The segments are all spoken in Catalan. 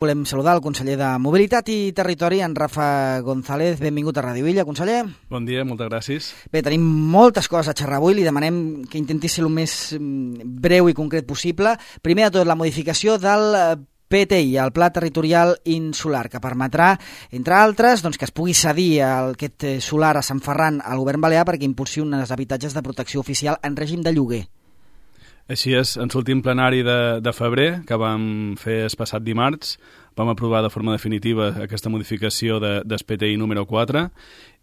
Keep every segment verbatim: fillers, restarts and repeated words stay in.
Volem saludar el conseller de Mobilitat i Territori, en Rafa González. Benvingut a Ràdio Illa, conseller. Bon dia, moltes gràcies. Bé, tenim moltes coses a xerrar avui. Li demanem que intenti ser el més breu i concret possible. Primer de tot, la modificació del P T I, el Pla Territorial Insular, que permetrà, entre altres, doncs, que es pugui cedir aquest solar a Sant Ferran al govern balear perquè impulsi uns habitatges de protecció oficial en règim de lloguer. Així és, en l'últim plenari de, de febrer, que vam fer el passat dimarts, vam aprovar de forma definitiva aquesta modificació de, del P T I número quatre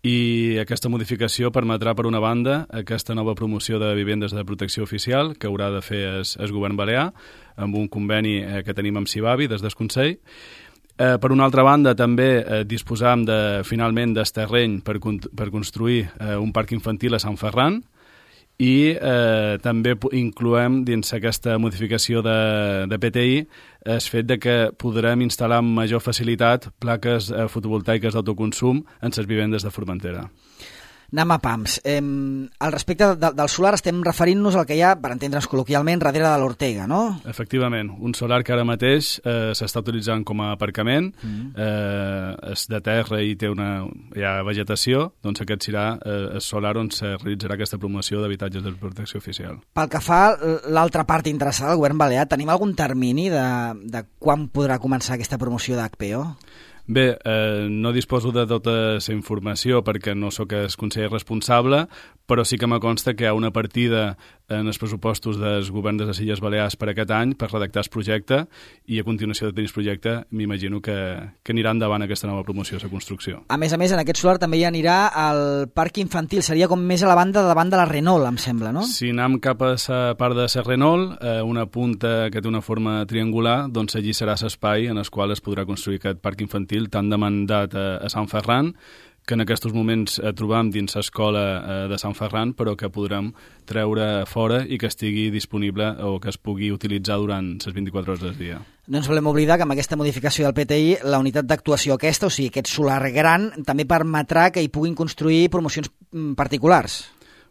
i aquesta modificació permetrà, per una banda, aquesta nova promoció de vivendes de protecció oficial que haurà de fer el, el govern balear amb un conveni eh, que tenim amb Cibavi des del Consell. Eh, per una altra banda, també eh, disposam de, finalment del terreny per, per construir eh, un parc infantil a Sant Ferran, i eh, també incloem dins aquesta modificació de, de P T I el fet de que podrem instal·lar amb major facilitat plaques eh, fotovoltaiques d'autoconsum en les vivendes de Formentera. Anem a pams. Eh, al respecte de, del solar estem referint-nos al que hi ha, per entendre'ns col·loquialment, darrere de l'Ortega, no? Efectivament, un solar que ara mateix eh, s'està utilitzant com a aparcament, mm. eh, és de terra i té una, hi ha vegetació, doncs aquest serà eh, el solar on se realitzarà aquesta promoció d'habitatges de protecció oficial. Pel que fa a l'altra part interessada, el govern balear, tenim algun termini de, de quan podrà començar aquesta promoció d'H P O? Bé, eh, no disposo de tota la informació perquè no sóc el conseller responsable, però sí que me consta que hi ha una partida en els pressupostos dels governs de les Illes Balears per aquest any per redactar el projecte i a continuació de tenir el projecte m'imagino que, que anirà endavant aquesta nova promoció de la construcció. A més a més, en aquest solar també hi anirà el parc infantil, seria com més a la banda de davant de la Renault, em sembla, no? Si anem cap a la part de la Renault, eh, una punta que té una forma triangular, doncs allí serà l'espai en el qual es podrà construir aquest parc infantil tan demandat a, a Sant Ferran, que en aquests moments eh, trobam dins l'escola eh, de Sant Ferran, però que podrem treure fora i que estigui disponible o que es pugui utilitzar durant les vint-i-quatre hores del dia. No ens volem oblidar que amb aquesta modificació del P T I, la unitat d'actuació aquesta, o sigui, aquest solar gran, també permetrà que hi puguin construir promocions particulars.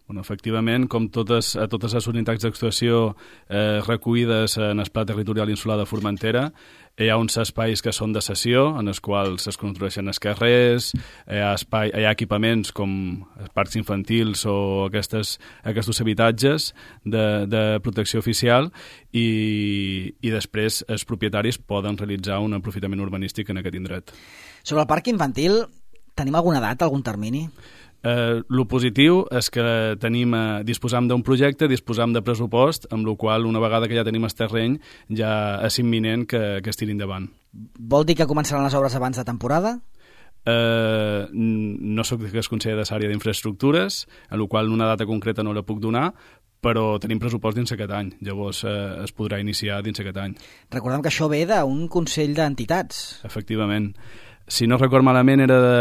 Bueno, efectivament, com totes, a totes les unitats d'actuació eh, recollides en el Pla Territorial Insular de Formentera, hi ha uns espais que són de cessió, en els quals es construeixen els carrers, hi ha, espai, hi ha equipaments com parcs infantils o aquestes, aquests habitatges de, de protecció oficial i, i després els propietaris poden realitzar un aprofitament urbanístic en aquest indret. Sobre el parc infantil, tenim alguna data, algun termini? Eh, lo positiu és que tenim, eh, disposam d'un projecte, disposam de pressupost, amb el qual una vegada que ja tenim el terreny ja és imminent que, que es tiri endavant. Vol dir que començaran les obres abans de temporada? Eh, no soc el conseller de l'àrea d'infraestructures, en la qual una data concreta no la puc donar, però tenim pressupost dins aquest any, llavors eh, es podrà iniciar dins aquest any. Recordem que això ve d'un Consell d'Entitats. Efectivament. Si no record malament, era de,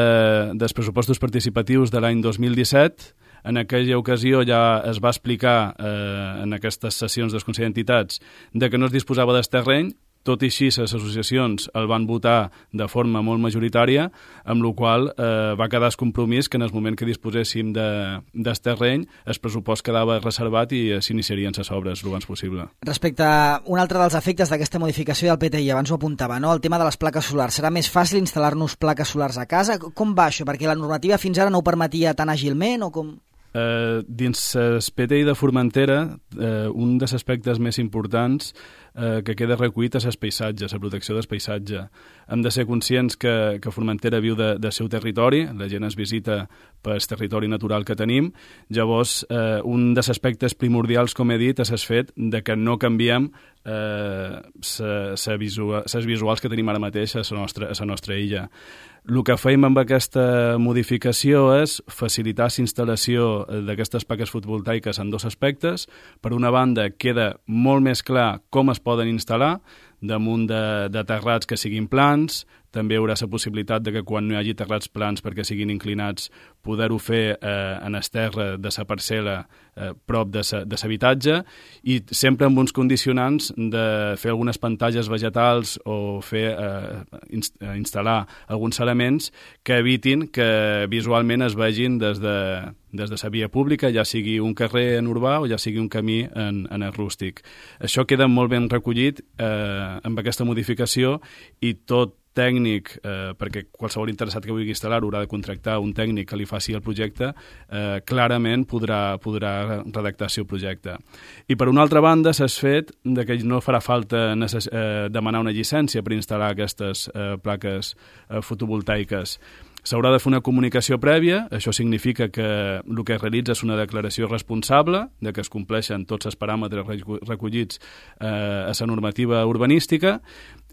dels pressupostos participatius de l'any dos mil disset. En aquella ocasió ja es va explicar eh, en aquestes sessions dels Consell d'Entitats de que no es disposava del terreny. Tot i així, les associacions el van votar de forma molt majoritària, amb la qual eh, va quedar el compromís que en el moment que disposéssim de, del terreny, el pressupost quedava reservat i eh, s'iniciarien les obres el abans possible. Respecte a un altre dels efectes d'aquesta modificació del P T I, abans ho apuntava, no? El tema de les plaques solars. Serà més fàcil instal·lar-nos plaques solars a casa? Com va això? Perquè la normativa fins ara no ho permetia tan àgilment o com? Eh, dins el P T I de Formentera, eh, un dels aspectes més importants eh, que queda recollit és el paisatge, la protecció del paisatge. Hem de ser conscients que, que Formentera viu de, del seu territori, la gent es visita pel territori natural que tenim, llavors eh, un dels aspectes primordials, com he dit, és el fet de que no canviem eh, les visual, visuals que tenim ara mateix a la nostra, a la nostra illa. El que fem amb aquesta modificació és facilitar la instal·lació d'aquestes plaques fotovoltaiques en dos aspectes. Per una banda, queda molt més clar com es poden instal·lar damunt de, de terrats que siguin plans. També hi haurà la possibilitat de que quan no hi hagi terrats plans perquè siguin inclinats poder-ho fer eh, en el terra de la parcel·la eh, prop de l'habitatge i sempre amb uns condicionants de fer algunes pantalles vegetals o fer eh, inst instal·lar alguns elements que evitin que visualment es vegin des de, des de la via pública, ja sigui un carrer en urbà o ja sigui un camí en, en el rústic. Això queda molt ben recollit eh, amb aquesta modificació i tot tècnic, eh, perquè qualsevol interessat que vulgui instal·lar-ho haurà de contractar un tècnic que li faci el projecte, eh, clarament podrà, podrà redactar el seu projecte. I per una altra banda s'ha fet de que no farà falta necess eh, demanar una llicència per instal·lar aquestes eh, plaques eh, fotovoltaiques. S'haurà de fer una comunicació prèvia, això significa que el que es realitza és una declaració responsable, de que es compleixen tots els paràmetres recollits eh, a la normativa urbanística,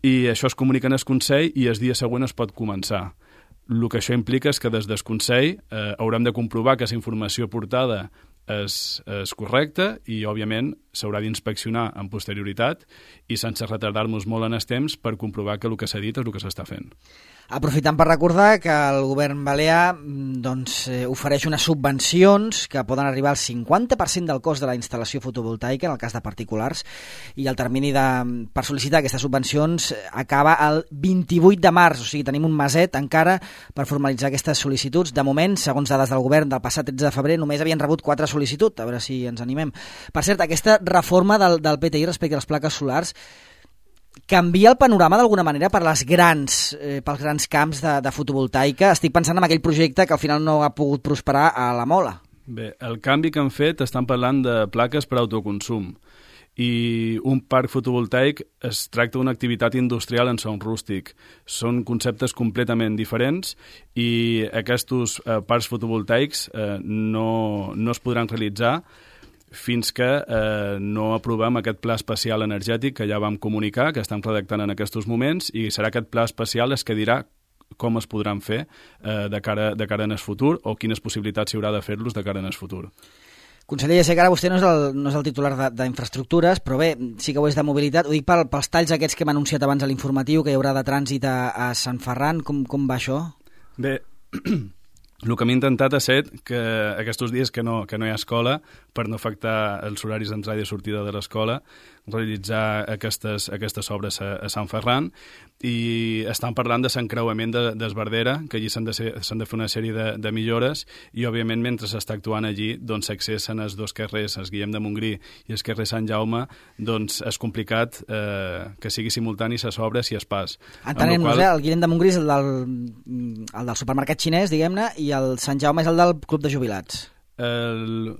i això es comunica en el Consell i el dia següent es pot començar. El que això implica és que des del Consell eh, haurem de comprovar que la informació portada és, és correcta i, òbviament, s'haurà d'inspeccionar amb posterioritat i sense retardar-nos molt en el temps per comprovar que el que s'ha dit és el que s'està fent. Aprofitant per recordar que el govern balear doncs, eh, ofereix unes subvencions que poden arribar al cinquanta per cent del cost de la instal·lació fotovoltaica en el cas de particulars, i el termini de, per sol·licitar aquestes subvencions acaba el vint-i-vuit de març, o sigui, tenim un meset encara per formalitzar aquestes sol·licituds. De moment, segons dades del govern del passat tretze de febrer, només havien rebut quatre sol·licituds, a veure si ens animem. Per cert, aquesta reforma del, del P T I respecte a les plaques solars canvia el panorama d'alguna manera per les grans, eh, pels grans camps de, de fotovoltaica? Estic pensant en aquell projecte que al final no ha pogut prosperar a la Mola. Bé, el canvi que han fet, estan parlant de plaques per autoconsum, i un parc fotovoltaic es tracta d'una activitat industrial en son rústic. Són conceptes completament diferents i aquests eh, parcs fotovoltaics eh, no, no es podran realitzar fins que eh, no aprovem aquest pla especial energètic que ja vam comunicar, que estem redactant en aquests moments, i serà aquest pla especial es que dirà com es podran fer eh, de, cara, de cara en el futur o quines possibilitats hi haurà de fer-los de cara en el futur. Conseller, ja sé que ara vostè no és el, no és el titular d'infraestructures, però bé, sí que ho és de mobilitat. Ho dic pel, pels talls aquests que hem anunciat abans a l'informatiu, que hi haurà de trànsit a, a Sant Ferran. Com, com va això? Bé, el que m'he intentat és ser que aquests dies que no, que no hi ha escola, per no afectar els horaris d'entrada i sortida de l'escola, realitzar aquestes, aquestes obres a, a Sant Ferran, i estan parlant de l'encreuament de, d'Esbardera, que allí s'han de, ser, s'han de fer una sèrie de, de millores, i òbviament mentre s'està actuant allí doncs s'accessen els dos carrers, el Guillem de Montgrí i el carrer Sant Jaume, doncs és complicat eh, que sigui simultani les obres i es pas. Entenem-nos, qual... eh? El Guillem de Montgrí és el del, el del supermercat xinès, diguem-ne, i el Sant Jaume és el del Club de Jubilats. El...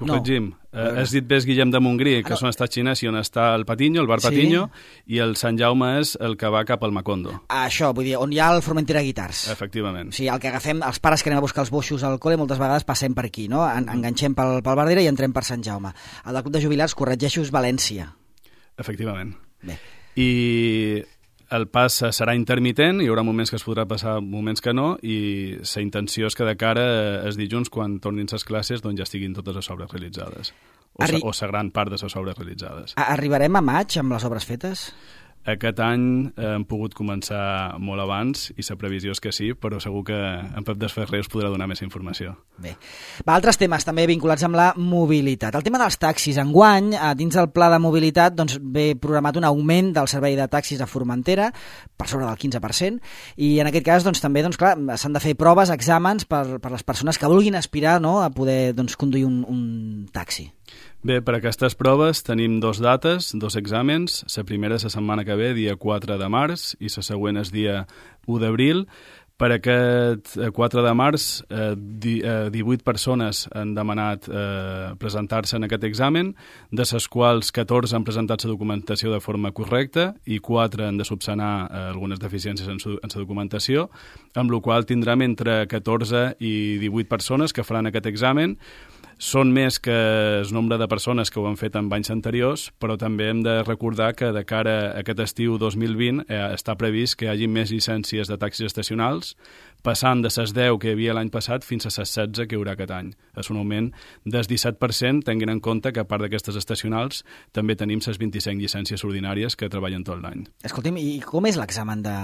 Corregim. No. Eh, has dit bé Guillem de Montgrí, que ah, no. són estats xinès i on està el Patiño, el bar Patiño, sí. I el Sant Jaume és el que va cap al Macondo. Ah, això, vull dir, on hi ha el Formentera Guitars. Efectivament. O sigui, el que agafem, els pares que anem a buscar els boixos al col·le, moltes vegades passem per aquí, no? En, enganxem pel, pel Bardera i entrem per Sant Jaume. El del Club de Jubilats, corregeixo, és València. Efectivament. Bé. I el pas serà intermitent, hi haurà moments que es podrà passar, moments que no, i la intenció és que de cara es dilluns, quan tornin les classes, doncs ja estiguin totes les obres realitzades. O, Arri... o la gran part de les obres realitzades. Arribarem a maig amb les obres fetes? Aquest any eh, hem pogut començar molt abans i la previsió és que sí, però segur que en Pep Desferrer us podrà donar més informació. Bé. Va, altres temes també vinculats amb la mobilitat. El tema dels taxis. Enguany, dins del pla de mobilitat, doncs, ve programat un augment del servei de taxis a Formentera per sobre del quinze per cent, i en aquest cas doncs, també doncs, clar, s'han de fer proves, exàmens per, per les persones que vulguin aspirar, no?, a poder doncs, conduir un, un taxi. Bé, per aquestes proves tenim dos dates, dos exàmens. La primera és la setmana que ve, dia quatre de març, i la següent és dia u d'abril. Per aquest quatre de març, eh, divuit persones han demanat eh, presentar-se en aquest examen, de les quals catorze han presentat la documentació de forma correcta i quatre han de subsanar eh, algunes deficiències en la documentació, amb la qual tindrem entre catorze i divuit persones que faran aquest examen. Són més que el nombre de persones que ho han fet en anys anteriors, però també hem de recordar que de cara a aquest estiu dos mil vint eh, està previst que hi hagi més llicències de taxis estacionals, passant de les deu que hi havia l'any passat fins a les setze que hi haurà aquest any. És un augment del disset per cent, tenint en compte que a part d'aquestes estacionals també tenim les vint-i-cinc llicències ordinàries que treballen tot l'any. Escolti'm, i com és l'examen de...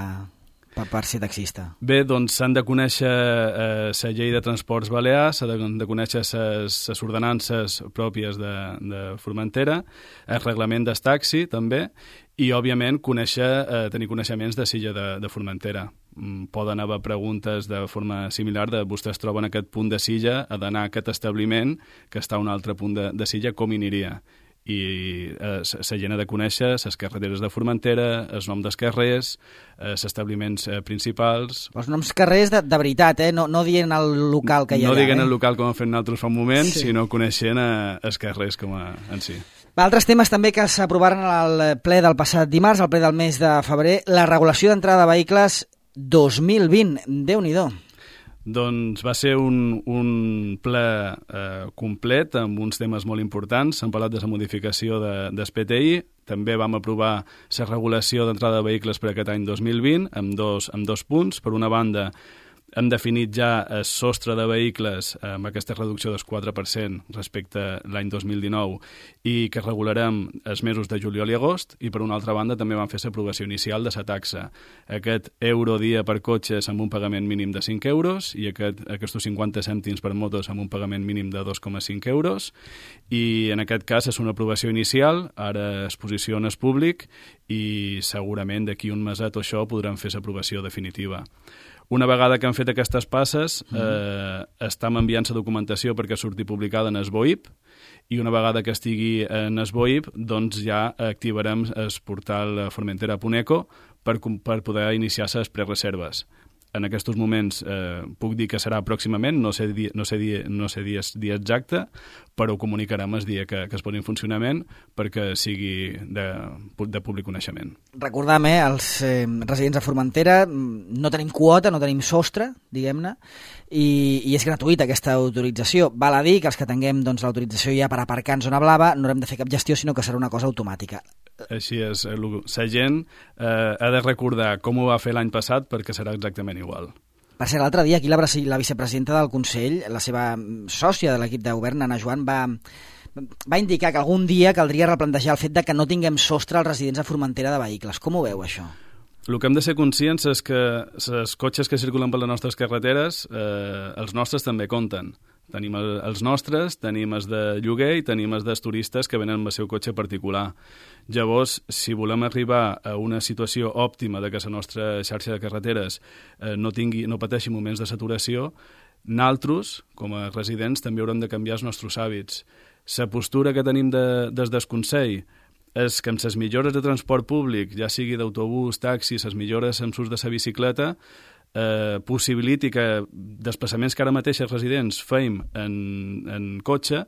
per, per ser taxista? Bé, doncs s'han de conèixer la eh, llei de transports balears, s'han de, de conèixer les ordenances pròpies de, de Formentera, el reglament del taxi també, i, òbviament, conèixer, eh, tenir coneixements de silla de, de Formentera. Mm, poden haver preguntes de forma similar de vostè es troba en aquest punt de silla, ha d'anar a aquest establiment que està a un altre punt de, de silla, com hi aniria? I eh, la gent ha de conèixer les carreteres de Formentera, els noms dels carrers, els eh, establiments eh, principals... Els noms carrers de, de veritat, eh? No, no dient el local que hi ha no allà. No dient eh? el local com hem fet nosaltres fa un moment, sí. sinó coneixent eh, els carrers com a, en si. Altres temes també que s'aprovaren al ple del passat dimarts, al ple del mes de febrer, la regulació d'entrada de vehicles dos mil vint. Déu-n'hi-do. Doncs va ser un, un ple eh, complet amb uns temes molt importants. S'han parlat de la modificació de, del P T I, també vam aprovar la regulació d'entrada de vehicles per aquest any dos mil vint amb dos, amb dos punts. Per una banda, hem definit ja el sostre de vehicles amb aquesta reducció del quatre per cent respecte a l'any dos mil dinou i que regularem els mesos de juliol i agost, i per una altra banda també vam fer l'aprovació inicial de la taxa. Aquest euro dia per cotxes amb un pagament mínim de cinc euros i aquest, aquests cinquanta cèntims per motos amb un pagament mínim de dos coma cinc euros, i en aquest cas és una aprovació inicial, ara es posiciona al públic i segurament d'aquí un meset o això podrem fer l'aprovació definitiva. Una vegada que han fet aquestes passes, eh, estem enviant la documentació perquè surti publicada en el B O I P, i una vegada que estigui en el B O I P, doncs ja activarem el portal Formentera punt eco per, per poder iniciar les prereserves. En aquests moments eh, puc dir que serà pròximament, no sé, dia, no sé, dia, no sé dia, dia exacte, però ho comunicarem el dia que, que es posi en funcionament perquè sigui de, de públic coneixement. Recordam, eh, els eh, residents de Formentera, no tenim quota, no tenim sostre, diguem-ne, i, i és gratuïta aquesta autorització. Val a dir que els que tinguem doncs, l'autorització ja per aparcar en zona blava no haurem de fer cap gestió, sinó que serà una cosa automàtica. Així és, la gent eh, ha de recordar com ho va fer l'any passat perquè serà exactament igual. Per cert, l'altre dia aquí la, la vicepresidenta del Consell, la seva sòcia de l'equip de govern, Anna Joan, va, va indicar que algun dia caldria replantejar el fet de que no tinguem sostre als residents a Formentera de vehicles. Com ho veu, això? El que hem de ser conscients és que els cotxes que circulen per les nostres carreteres, eh, els nostres també compten. Tenim els nostres, tenim els de lloguer i tenim els dels turistes que venen amb el seu cotxe particular. Llavors, si volem arribar a una situació òptima de que la nostra xarxa de carreteres eh, no, tingui, no pateixi moments de saturació, nosaltres, com a residents, també haurem de canviar els nostres hàbits. La postura que tenim de, des del Consell és que amb les millores de transport públic, ja sigui d'autobús, taxis, les millores amb l'ús de la bicicleta, eh, possibiliti que desplaçaments que ara mateix els residents feim en, en cotxe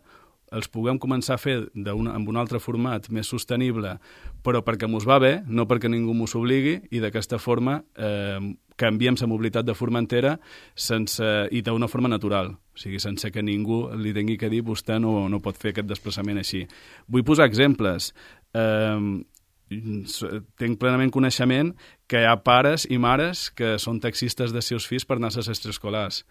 els puguem començar a fer una, amb un altre format més sostenible, però perquè mos va bé, no perquè ningú mos obligui, i d'aquesta forma eh, canviem la mobilitat de Formentera sense, i d'una forma natural, o sigui, sense que ningú li tingui que dir vostè no, no pot fer aquest desplaçament així. Vull posar exemples. Eh, tinc plenament coneixement que hi ha pares i mares que són taxistes dels seus fills per anar a les extraescolars.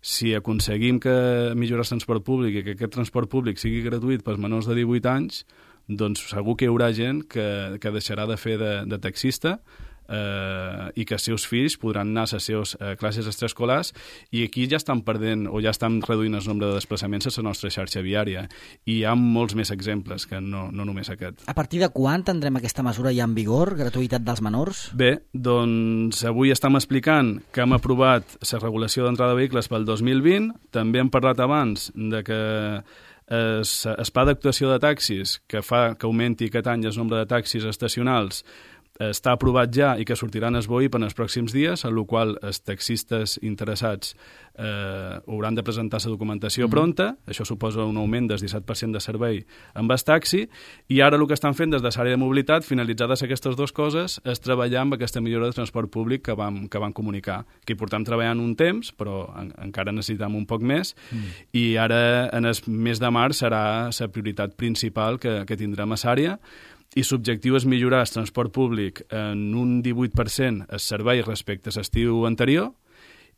Si aconseguim que millorar el transport públic i que aquest transport públic sigui gratuït pels menors de divuit anys, doncs segur que hi haurà gent que, que deixarà de fer de, de taxista eh, i que els seus fills podran anar a les seves eh, classes extraescolars, i aquí ja estan perdent o ja estan reduint el nombre de desplaçaments a la nostra xarxa viària, i hi ha molts més exemples que no, no només aquest. A partir de quan tindrem aquesta mesura ja en vigor, gratuïtat dels menors? Bé, doncs avui estem explicant que hem aprovat la regulació d'entrada de vehicles pel dos mil vint, també hem parlat abans de que el pla d'actuació de taxis que fa que augmenti aquest any el nombre de taxis estacionals està aprovat ja i que sortiran al B O I P en els pròxims dies, en el qual els taxistes interessats eh, hauran de presentar la documentació mm. pronta. Això suposa un augment del disset per cent de servei amb el taxi, i ara el que estan fent des de l'àrea de mobilitat, finalitzades aquestes dues coses, és treballar amb aquesta millora de transport públic que vam, que vam comunicar, que hi portem treballant un temps, però en, encara necessitem un poc més, mm. i ara en el mes de març serà la prioritat principal que, que tindrem a l'àrea, i l'objectiu és millorar el transport públic en un divuit per cent el servei respecte a l'estiu anterior,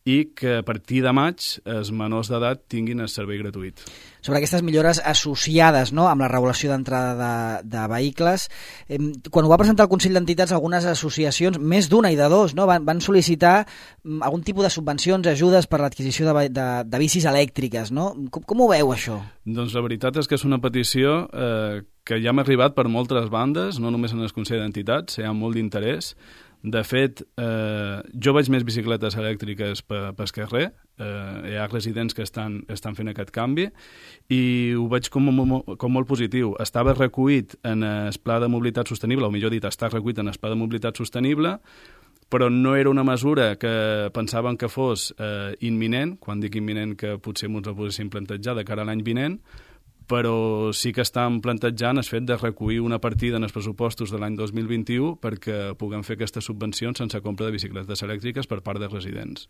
i que a partir de maig els menors d'edat tinguin el servei gratuït. Sobre aquestes millores associades, no?, amb la regulació d'entrada de, de vehicles, eh, quan ho va presentar el Consell d'Entitats, algunes associacions, més d'una i de dos, no?, van, van sol·licitar mm, algun tipus de subvencions, ajudes per l'adquisició de, de, de bicis elèctriques, no? Com, com ho veu, això? Doncs la veritat és que és una petició eh, que ja m'ha arribat per moltes bandes, no només en el Consell d'Entitats, hi ha molt d'interès. De fet, eh, jo veig més bicicletes elèctriques pel pe carrer, eh, hi ha residents que estan, estan fent aquest canvi i ho veig com, com molt positiu. Estava recollit en el Pla de Mobilitat Sostenible, o millor dit, està recollit en el Pla de Mobilitat Sostenible, però no era una mesura que pensaven que fos eh, imminent, quan dic imminent que potser ens la posessin plantejar de cara a l'any vinent, però sí que estan plantejant el fet de recollir una partida en els pressupostos de l'any dos mil vint-i-u perquè puguem fer aquestes subvencions sense compra de bicicletes elèctriques per part dels residents.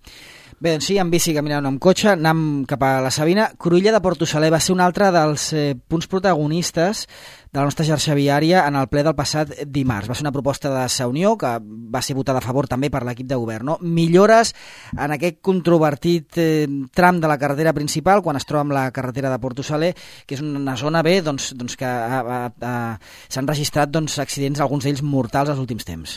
Bé, doncs sí, amb bici caminant o amb cotxe, anem cap a la Sabina. Cruïlla de Portosaler va ser un altre dels eh, punts protagonistes de la nostra xarxa viària en el ple del passat dimarts. Va ser una proposta de Sa Unió que va ser votada a favor també per l'equip de govern. No? Millores en aquest controvertit eh, tram de la carretera principal quan es troba amb la carretera de Portosaler, que és una zona bé doncs, doncs que s'han registrat doncs, accidents, alguns d'ells mortals, als últims temps.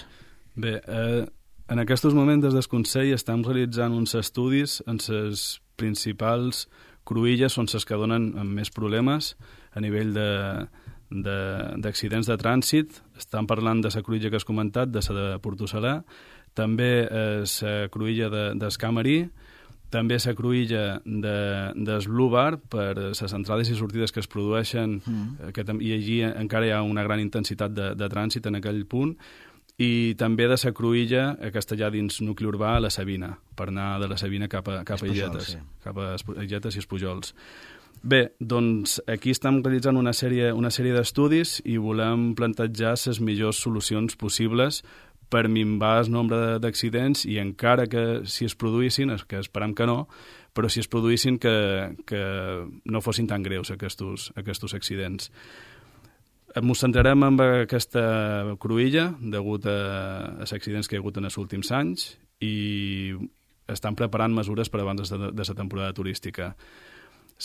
Bé, eh, en aquests moments des del Consell estem realitzant uns estudis en les principals cruïlles on les que donen més problemes a nivell de d'accidents de, de trànsit. Estan parlant de la cruïlla que has comentat, de la de Portosaler, també la cruïlla de, d'Escamarí, també la cruïlla de, del Blue Bar per les entrades i sortides que es produeixen, mm. que, i allí encara hi ha una gran intensitat de, de trànsit en aquell punt, i també de la cruïlla a Castellà dins nucli urbà a la Sabina, per anar de la Sabina cap a, cap a Illetes, sí. cap a Illetes i Espujols. Bé, doncs aquí estem realitzant una sèrie, una sèrie d'estudis i volem plantejar les millors solucions possibles per minvar el nombre d'accidents i encara que si es produïssin, que esperem que no, però si es produïssin que, que no fossin tan greus aquests, aquests accidents. Ens centrarem en aquesta cruïlla degut a, als accidents que hi ha hagut en els últims anys i estan preparant mesures per abans de, de la temporada turística.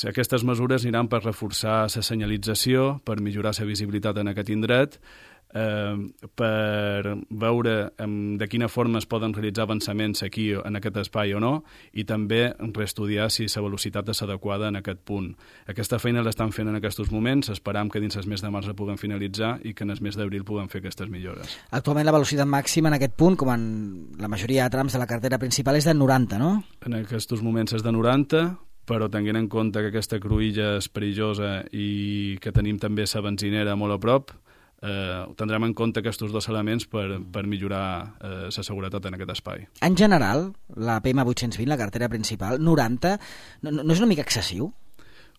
Aquestes mesures aniran per reforçar la senyalització, per millorar la visibilitat en aquest indret, eh, per veure de quina forma es poden realitzar avançaments aquí en aquest espai o no, i també reestudiar si la velocitat és adequada en aquest punt. Aquesta feina l'estan fent en aquests moments, esperam que dins el mes de març la puguem finalitzar i que en el mes d'abril puguem fer aquestes millores. Actualment la velocitat màxima en aquest punt, com en la majoria de trams de la carretera principal, és de noranta, no? En aquests moments és de noranta, però tenint en compte que aquesta cruïlla és perillosa i que tenim també la benzinera molt a prop, eh, tindrem en compte aquests dos elements per, per millorar eh, la seguretat en aquest espai. En general, la P M vuit-cents vint, la carretera principal, noranta, no, no és una mica excessiu?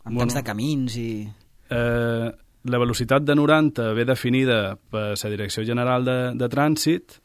En bueno, tants de camins i... Eh, la velocitat de noranta ve definida per la Direcció General de, de Trànsit,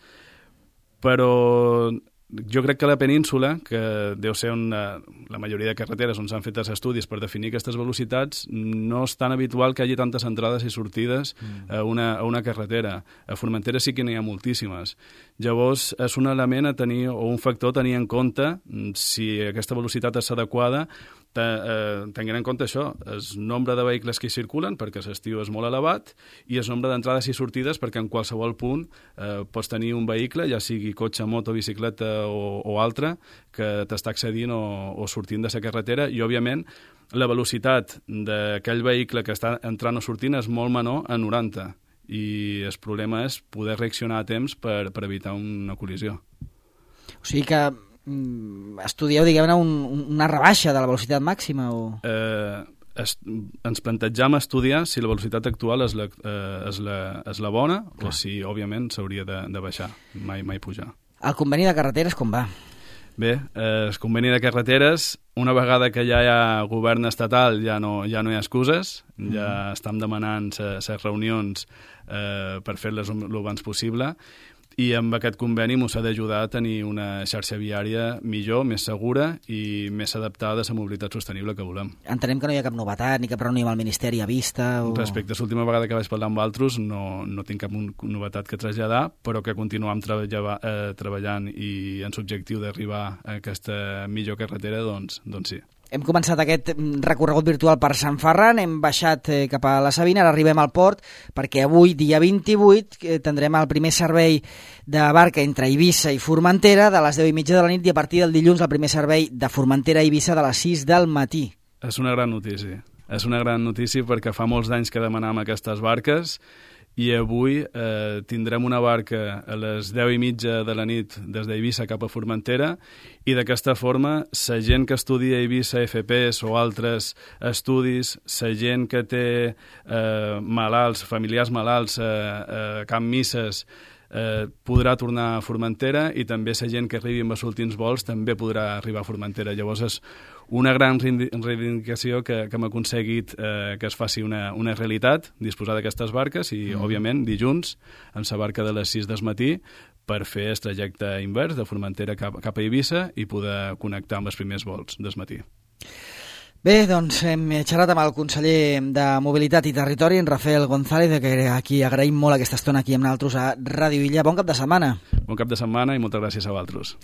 però jo crec que la península, que deu ser una, la majoria de carreteres on s'han fet els estudis per definir aquestes velocitats, no és tan habitual que hi hagi tantes entrades i sortides mm. a, una, a una carretera. A Formentera sí que n'hi ha moltíssimes. Llavors, és un element a tenir, o un factor a tenir en compte si aquesta velocitat és adequada, tenint en compte això, el nombre de vehicles que hi circulen, perquè l'estiu és molt elevat, i el nombre d'entrades i sortides, perquè en qualsevol punt eh, pots tenir un vehicle, ja sigui cotxe, moto, bicicleta o, o altre, que t'està accedint o, o sortint de la carretera, i òbviament la velocitat d'aquell vehicle que està entrant o sortint és molt menor a noranta, i el problema és poder reaccionar a temps per, per evitar una col·lisió. O sigui que estudieu, diguem-ne, un, una rebaixa de la velocitat màxima? O... Eh, es, ens plantejam estudiar si la velocitat actual és la, eh, és la, és la bona, clar, o si, òbviament, s'hauria de, de baixar, mai, mai pujar. El conveni de carreteres com va? Bé, eh, el conveni de carreteres, una vegada que ja hi ha govern estatal, ja no, ja no hi ha excuses, mm. ja estem demanant les reunions eh, per fer-les el abans possible, i amb aquest conveni ens ha d'ajudar a tenir una xarxa viària millor, més segura i més adaptada a la mobilitat sostenible que volem. Entenem que no hi ha cap novetat ni cap reunió amb el Ministeri a vista? O... Respecte a l'última vegada que vaig parlar amb altres, no, no tinc cap novetat que traslladar, però que continuem treballa, eh, treballant i en l'objectiu d'arribar a aquesta millor carretera, doncs, doncs sí. Hem començat aquest recorregut virtual per Sant Ferran, hem baixat eh, cap a la Sabina, ara arribem al port, perquè avui, dia vint-i-vuit, eh, tindrem el primer servei de barca entre Eivissa i Formentera de les deu i mitja de la nit i a partir del dilluns el primer servei de Formentera a Eivissa de les sis del matí. És una gran notícia. És una gran notícia perquè fa molts anys que demanàvem aquestes barques i avui eh, tindrem una barca a les deu i mitja de la nit des d'Eivissa cap a Formentera i d'aquesta forma la gent que estudia a Eivissa F P S o altres estudis, la gent que té eh, malalts, familiars malalts a eh, eh, Can Misses, eh, podrà tornar a Formentera i també la gent que arribi amb els últims vols també podrà arribar a Formentera. Llavors és una gran reivindicació que, que hem aconseguit eh, que es faci una, una realitat, disposar d'aquestes barques i, mm. òbviament, dilluns, amb la barca de les sis del matí per fer el trajecte invers de Formentera cap, cap a Eivissa i poder connectar amb els primers vols del matí. Bé, doncs hem xerrat amb el conseller de Mobilitat i Territori, en Rafael González, que aquí agraïm molt aquesta estona aquí amb nosaltres a Ràdio Illa. Bon cap de setmana. Bon cap de setmana i moltes gràcies a vosaltres.